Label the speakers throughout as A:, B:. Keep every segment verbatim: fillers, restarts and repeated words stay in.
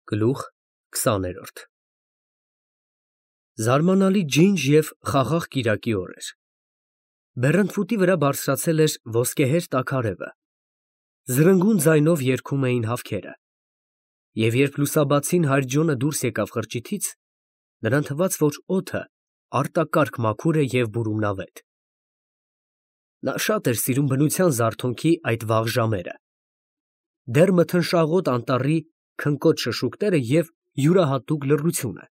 A: Գլուխ քսաներորդ Զարմանալի ջինջ և խաղաղ կիրակի օր էր. բեռնթփուտի վրա բարձրացել էր ոսկեհեր տաքարևը, զրնգուն ձայնով երգում էին հավքերը, և երբ լուսաբացին հայրջոնը դուրս եկավ խրճիթից, նրան թվաց, որ օդը արտակարգ մաքուր է և բուրումնավետ. նա շատ էր սիրում բնության զարթոնքի այդ վաղ ժամերը, դեռ մթնշաղոտ անտառի քնկոտ շշուկները և յուրահատուկ լռությունը,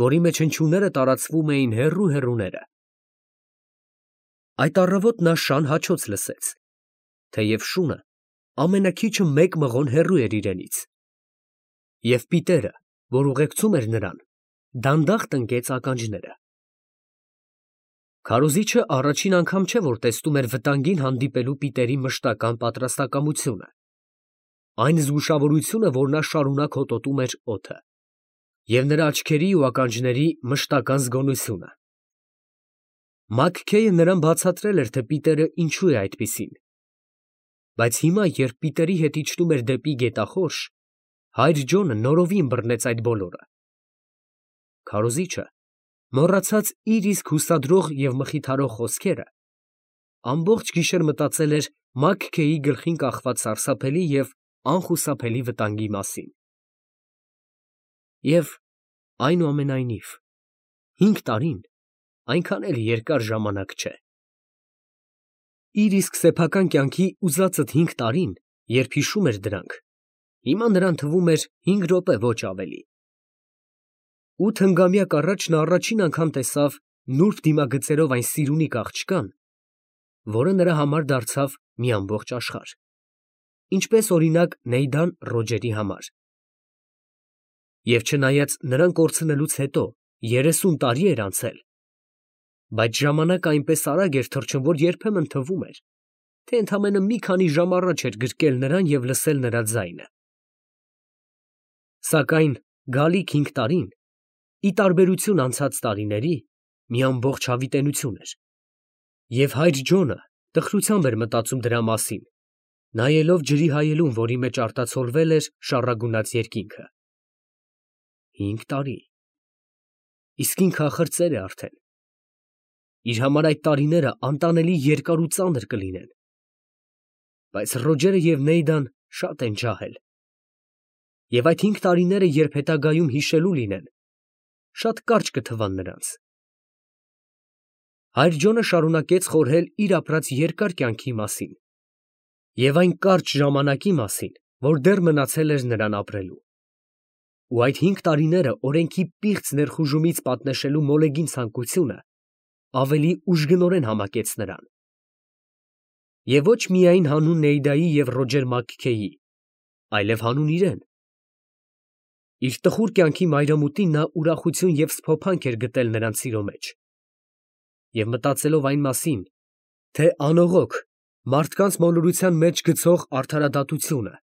A: որի մեջ հնչյունները տարածվում էին հեռու֊հեռուները։ Այդ առավոտ նա շան հաչոց լսեց, թեև շունը ամենաքիչը մեկ մղոն հեռու էր իրենից, և պիտերը, որ ուղեկցում էր նրան, դանդաղ տնկեց ականջները։ Քարոզիչը առաջին անգամ չէ, որ տեսնում էր վտանգին հանդիպելու պիտերի մշտական պատրաստակամությունը, այն զգուշավորությունը, որ նա շարունակ հոտոտում էր օդը, և նրա աչքերի ու ականջների մշտական զգոնությունը։ Մաքքեյը նրան բացատրել էր, թե պիտերը ինչու է այդպիսին, բայց հիմա, երբ պիտերի հետ իջնում էր դեպի գետախորշ, հայր Ջոնը նորովին բռնեց այդ բոլորը։ Քարոզիչը, մոռացած իր իսկ հուսադրող և մխիթարող խոսքերը, ամբողջ գիշեր մտածել էր Մաքքեյի գլխին կախված սարսափելի և անխուսափելի վտանգի մասին։ Եվ, այնուամենայնիվ, հինգ տարին այնքան էլ երկար ժամանակ չէ։ Իր իսկ սեփական կյանքի ուզածդ հինգ տարին, երբ հիշում էր դրանք, հիմա նրան թվում էր հինգ րոպե, ոչ ավելի։ Ութ հնգամյակ առաջ նա առաջին անգամ տեսավ նուրբ դիմագծերով այն սիրունիկ աղջկան, որը նրա համար դարձավ մի ամբողջ աշխարհ, ինչպես, օրինակ, Նեյդան Ռոջերի համար։ Եվ չնայած նրան կորցնելուց հետո երեսուն տարի էր անցել, բայց ժամանակը այնպես արագ էր թռչում, որ երբեմն թվում էր, թե ընդամենը մի քանի ժամ առաջ էր գրկել նրան և լսել նրա ձայնը։ Սակայն գալիք հինգ տարին, ի տարբերություն անցած տարիների, մի ամբողջ հավիտենություն էր, և հայր Ջոնը տխրությամբ էր մտածում դրա մասին, նայելով ջրի հայելուն, որի մեջ արտացոլվել էր շառագունած երկինքը։ Հինգ տարի… իսկ ինքը ախր ծեր է արդեն։ Իր համար այդ տարիները անտանելի երկար ու ծանր կլինեն։ Բայց Ռոջերը և Նեյդան շատ են ջահել, և այդ հինգ տարիները, երբ հետագայում հիշելու լինեն, շատ կարճ կթվան նրանց։ Հայր Ջոնը շարունակեց խորհել իր ապրած երկար կյանքի մասին և այն կարճ ժամանակի մասին, որ դեռ մնացել էր նրան ապրելու։ Ու այդ հինգ տարիները օրենքի պիղծ ներխուժումից պատնեշելու մոլեգին ցանկությունը ավելի ուժգնորեն համակեց նրան։ Եվ ոչ միայն հանուն Նեյդայի և Ռոջեր Մաքքեյի, այլև հանուն իրեն։ Իր տխուր կյանքի մայրամուտին նա ուրախություն և սփոփանք էր գտել նրանց սիրո մեջ, և մտածելով այն մասին, թե անողոք, մարդկանց մոլորության մեջ գցող արդարադատությունը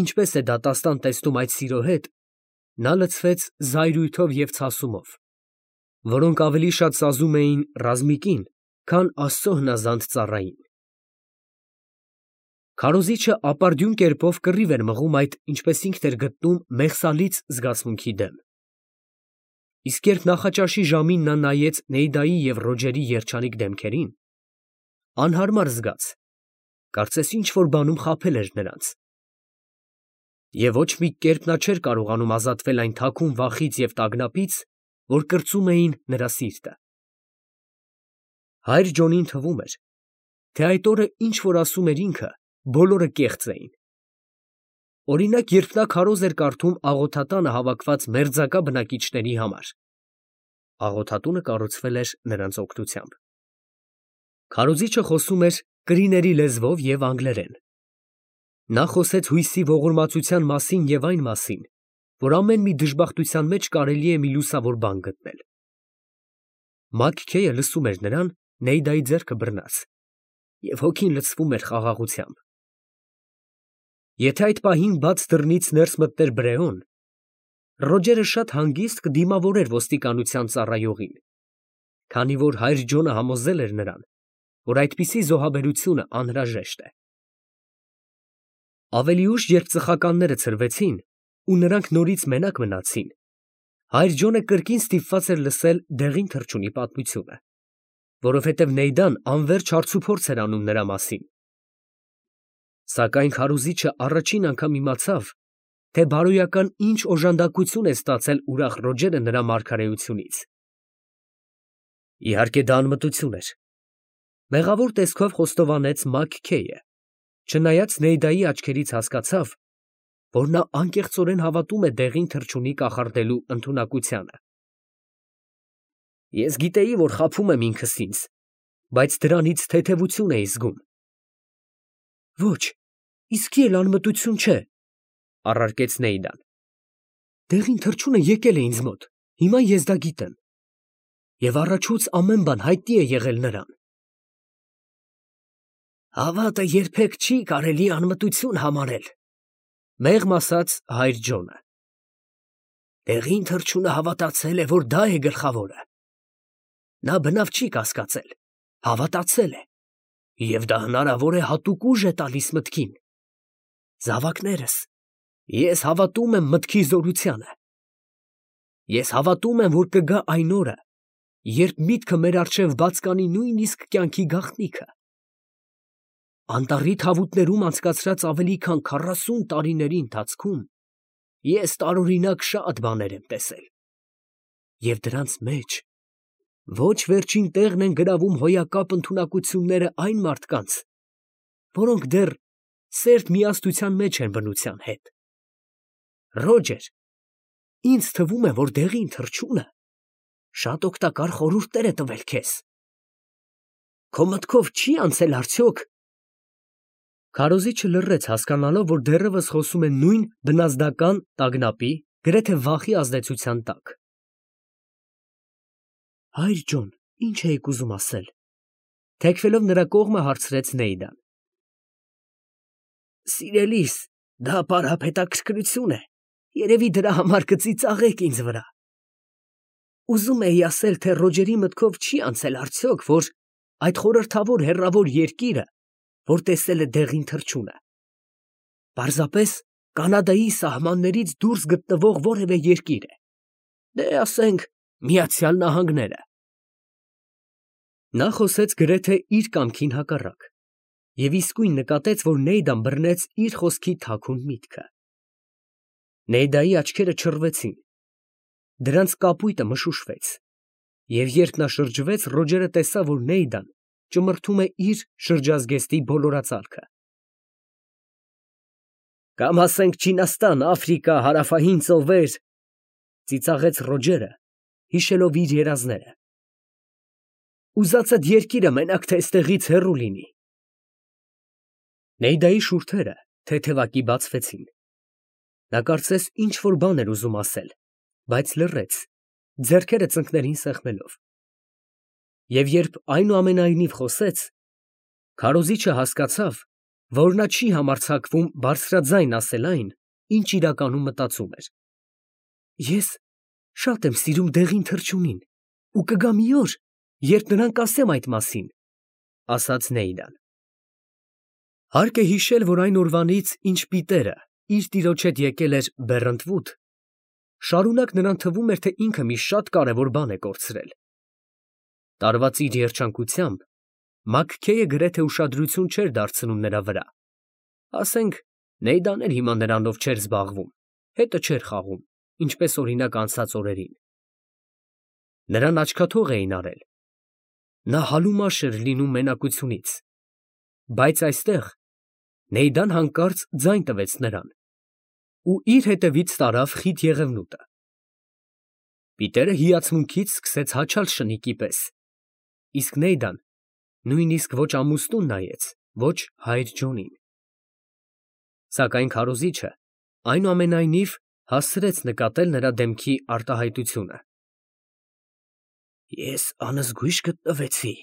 A: ինչպես է դատաստան տեսնում այդ սիրո հետ, նա լցվեց զայրույթով և ցասումով, որոնք ավելի շատ սազում էին ռազմիկին, քան Աստծո հնազանդ ծառային։ Քարոզիչը ապարդյուն կերպով կռիվ էր մղում այդ, ինչպես ինքն էր գտնում, մեղսալից զգացմունքի դեմ։ Իսկ երբ նախաճաշի ժամին նա նայեց Նեյդայի և Ռոջերի երջանիկ դեմքերին, անհարմար զգաց, կարծես ինչ֊որ բանում խաբել էր նրանց։ Եվ ոչ մի կերպ նա չէր կարողանում ազատվել այն թաքուն վախից և տագնապից, որ կրծում էին նրա սիրտը։ Հայր Ջոնին թվում էր, թե այդ օրը ինչ որ ասում էր ինքը, բոլորը կեղծ էին։ Օրինակ, երբ նա քարոզ էր կարդում աղոթատանը հավաքված մերձակա բնակիչների համար (աղոթատունը կառուցվել էր նրանց օգնությամբ), քարոզիչը խոսում էր կրիների լեզվով և անգլերեն։ Նա խոսեց հույսի ողորմածության մասին և այն մասին, որ ամեն մի դժբախտության մեջ կարելի է մի լուսավոր բան գտնել։ Մաքքեյը լսում էր նրան, Նեյդայի ձեռքը բռնած, և հոգին լցվում էր խաղաղությամբ։ Եթե այդ պահին բաց դռնից ներս մտներ Բրեոն, Ռոջերը շատ հանգիստ կդիմավորեր ոստիկանության ծառայողին, քանի որ հայր Ջոնը համոզել էր նրան, որ այդպիսի զոհաբերությունը անհրաժեշտ է։ Ավելի ուշ, երբ ծխականները ցրվեցին, ու նրանք նորից մենակ մնացին, հայր Ջոնը կրկին ստիպված էր լսել դեղին թռչունի պատմությունը, որովհետև Նեյդան անվերջ հարցուփորձ էր անում նրա մասին։ Սակայն քարոզիչը առաջին անգամ իմացավ, թե բարոյական ինչ օժանդակություն է ստացել ուրախ Ռոջերը նրա մարգարեությունից։ Իհարկե դա անմտություն էր։ Մեղավոր տեսքով խոստովանեց Մաքքեյը, չնայած Նեյդայի աչքերից հասկացավ, որ նա անկեղծորեն հավատում է դեղին թռչունի կախարդելու ընդունակությանը։ Ես գիտեի, որ խաբում եմ ինքս ինձ, բայց դրանից թեթևություն էի զգում։ Ոչ, իսկի էլ անմտություն չէ, առարկեց Նեյդան։ Դեղին թռչունը եկել է ինձ մոտ, հիմա ես դա գիտեմ։ Եվ առաջուց ամեն բան հայտնի է եղել նրան։ Հավատը երբեք չի կարելի անմտություն համարել, մեղմ ասաց հայր Ջոնը։ Դեղին թռչունը հավատացել է, որ դա է գլխավորը։ Նա բնավ չի կասկածել, հավատացել է, և դա հնարավոր է հատուկ ուժ է տալիս մտքին։ Զավակներս, ես հավատում եմ մտքի զորությանը։ Ես հավատում եմ, որ կգա այն օրը, երբ միտքը մեր առջև բաց կանի նույնիսկ կյանքի գաղտնիքը։ Անտառի թավուտներում անցկացրած ավելի քան քառասուն տարիների ընթացքում ես տարօրինակ շատ բաներ եմ տեսել։ Եվ դրանց մեջ ոչ վերջին տեղն են գրավում հոյակապ ընդունակությունները այն մարդկանց, որոնք դեռ սերտ միասնության մեջ են բնության հետ։ Ռոջեր, ինձ թվում է, որ դեղին թռչունը շատ օգտակար խորհուրդներ է տվել քեզ։ Քո մտքով չի անցել արդյոք։ Քարոզիչը լռեց, հասկանալով, որ դեռևս խոսում է նույն բնազդական տագնապի, գրեթե վախի ազդեցության տակ։ Հայր Ջոն, ինչ էիք ուզում ասել, թեքվելով նրա կողմը հարցրեց Նեյդան։ Սիրելիս, դա պարապ հետաքրքրություն է, երևի դրա համար կծիծաղեք ինձ վրա։ Ուզում էի ասել, թե Ռոջերի մտքով չի անցել արդյոք, որ այդ խորհրդավոր հեռավոր երկիրը, որ տեսել է դեղին թռչունը, պարզապես Կանադայի սահմաններից դուրս գտնվող որևէ երկիր է, դե ասենք Միացյալ Նահանգները։ Նա խոսեց գրեթե իր կամքին հակառակ, և իսկույն նկատեց, որ Նեյդան բռնեց իր խոսքի թաքուն միտքը։ Նեյդայի աչքերը չռվեցին, դրանց կապույտը մշուշվեց, և երբ նա շրջվեց, Ռոջերը տեսավ, որ Նեյդան ճմրթում է իր շրջազգեստի բոլորածալքը։ Կամ ասենք Չինաստան, Աֆրիկա, Հարավային ծովեր, ծիծաղեց Ռոջերը, հիշելով իր երազները։ Ուզածդ երկիրը մենակ թե այստեղից հեռու լինի։ Նեյդայի շուրթերը թեթևակի բացվեցին։ Նա կարծես ինչ-որ բան էր ուզում ասել, բայց լռեց, ձեռքերը ծնկներին սեղմելով։ Եվ երբ այնուամենայնիվ խոսեց, քարոզիչը հասկացավ, որ նա չի համարձակվում բարձրաձայն ասել այն, ինչ իրականում մտածում էր։ Ես շատ եմ սիրում դեղին թռչունին, ու կգա մի օր, երբ նրան կասեմ այդ մասին, ասաց Նեյդան։ Հարկ է հիշել, որ այն օրվանից, ինչ Պիտերը իր տիրոջ հետ եկել էր Բեռընտվուդ, շարունակ նրան թվում էր, թե ինքը մի շատ կարևոր բան է կորցրել։ Տարված իր երջանկությամբ Մաքքեյը գրեթե ուշադրություն չէր դարձնում նրա վրա։ Ասենք, Նեյդան էլ հիմա նրանով չէր զբաղվում, հետը չէր խաղում, ինչպես օրինակ անցած օրերին։ Նրան աչքաթող էին արել։ Նա հալումաշ էր լինում մենակությունից, բայց այստեղ Նեյդան հանկարծ ձայն տվեց նրան ու իր հետևից տարավ խիտ եղևնուտը։ Պիտերը հիացմունքից սկսեց հաչալ շնիկի պես, իսկ Նեյդան նույնիսկ ոչ ամուսնուն նայեց, ոչ հայր Ջոնին։ Սակայն քարոզիչը այնուամենայնիվ հասցրեց նկատել նրա դեմքի արտահայտությունը։ Ես անզգույշ գտնվեցի,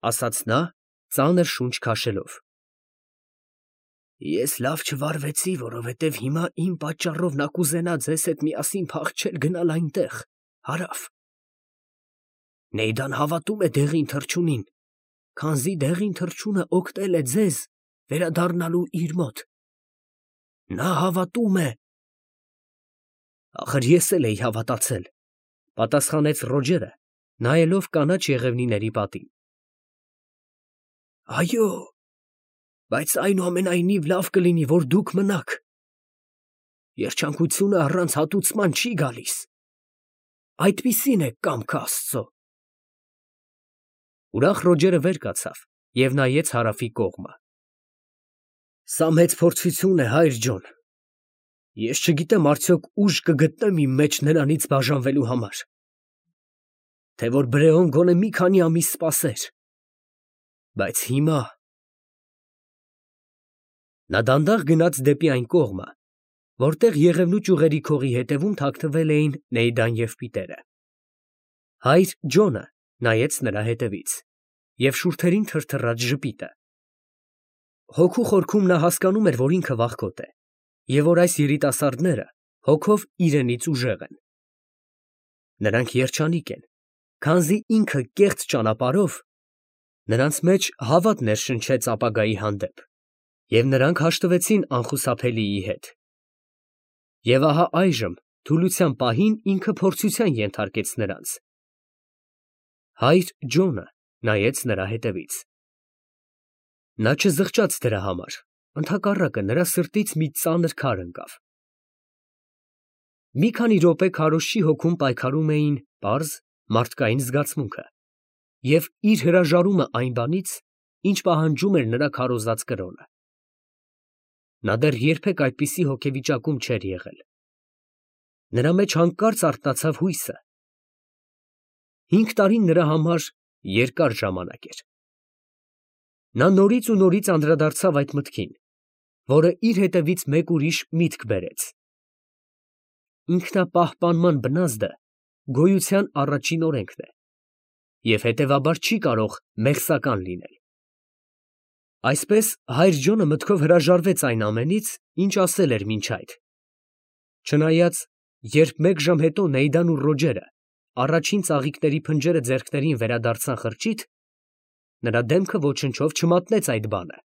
A: ասաց նա, ծանր շունչ քաշելով։ Ես լավ չվարվեցի, որովհետև հիմա իմ պատճառով նա կուզենա ձեզ հետ միասին փախչել գնալ այնտեղ, հարավ։ Նեյդան հավատում է դեղին թռչունին, քանզի դեղին թռչունը օգնել է ձեզ վերադառնալու իր մոտ։ Նա հավատում է, Ախր ես էլ էի հավատացել, պատասխանեց Ռոջերը, նայելով կանաչ եղևնիների պատին։ Այո, բայց այնուամենայնիվ լավ կլինի, որ դուք մնաք։ Երջանկությունը առանց հատուցման չի գալիս։ Այդպիսին է կամքը Աստծո։ Ուրախ Ռոջերը վեր կացավ և նայեց հարավի կողմը։ Սա մեծ փորձություն է, հայր ջոն։ Ես չգիտեմ արդյոք ուժ կգտնեմ իմ մեջ նրանից բաժանվելու համար, թե որ Բրեոն գոնե մի քանի ամիս սպասեր, բայց հիմա… Նա դանդաղ գնաց դեպի այն կողմը, որտեղ Եղևնու ճյուղերի քողի հետևում թաքնվել էին Նեյդան և Պիտերը։ Հայր Ջոնը նայեց նրա հետևից և շուրթերին թրթռաց ժպիտը։ Հոգու խորքում նա հասկանում էր, որ ինքը վախկոտ է և որ այս երիտասարդները հոգով իրենից ուժեղ են։ Նրանք երջանիկ են, քանզի ինքը կեղծ ճանապարհով նրանց մեջ հավատ ներշնչեց ապագայի հանդեպ, և նրանք հաշտվեցին անխուսափելիի հետ։ Եվ ահա այժմ թուլության պահին ինքը փորձության ենթարկեց նրանց։ Հայր Ջոնը նայեց նրա հետևից։ Նա չզղջաց դրա համար, ընդհակառակը նրա սրտից մի ծանր քար ընկավ։ Մի քանի րոպե քարոզչի հոգում պայքարում էին պարզ, մարդկային զգացմունքը և իր հրաժարումը այն բանից, ինչ պահանջում էր նրա քարոզած կրոնը։ Նա դեռ երբեք այդպիսի հոգեվիճակում չէր եղել։ Նրա մեջ հանկարծ արթնացավ հույսը։ Հինգ տարին նրա համար երկար ժամանակ էր։ Նա նորից ու նորից անդրադարձավ այդ մտքին, որը իր հետևից մեկ ուրիշ միտք բերեց։ Ինքնապահպանման բնազդը գոյության առաջին օրենքն է և հետևաբար չի կարող մեղսական լինել։ Այսպես հայր Ջոնը մտքով հրաժարվեց այն ամենից, ինչ ասել էր մինչ այդ, չնայած երբ մեկ ժամ հետո Նեյդան ու Ռոջերը առաջին ծաղիկների փնջերը ձեռքներին վերադարձան խրճիթ, նրա դեմքը ոչնչով չմատնեց այդ բանը։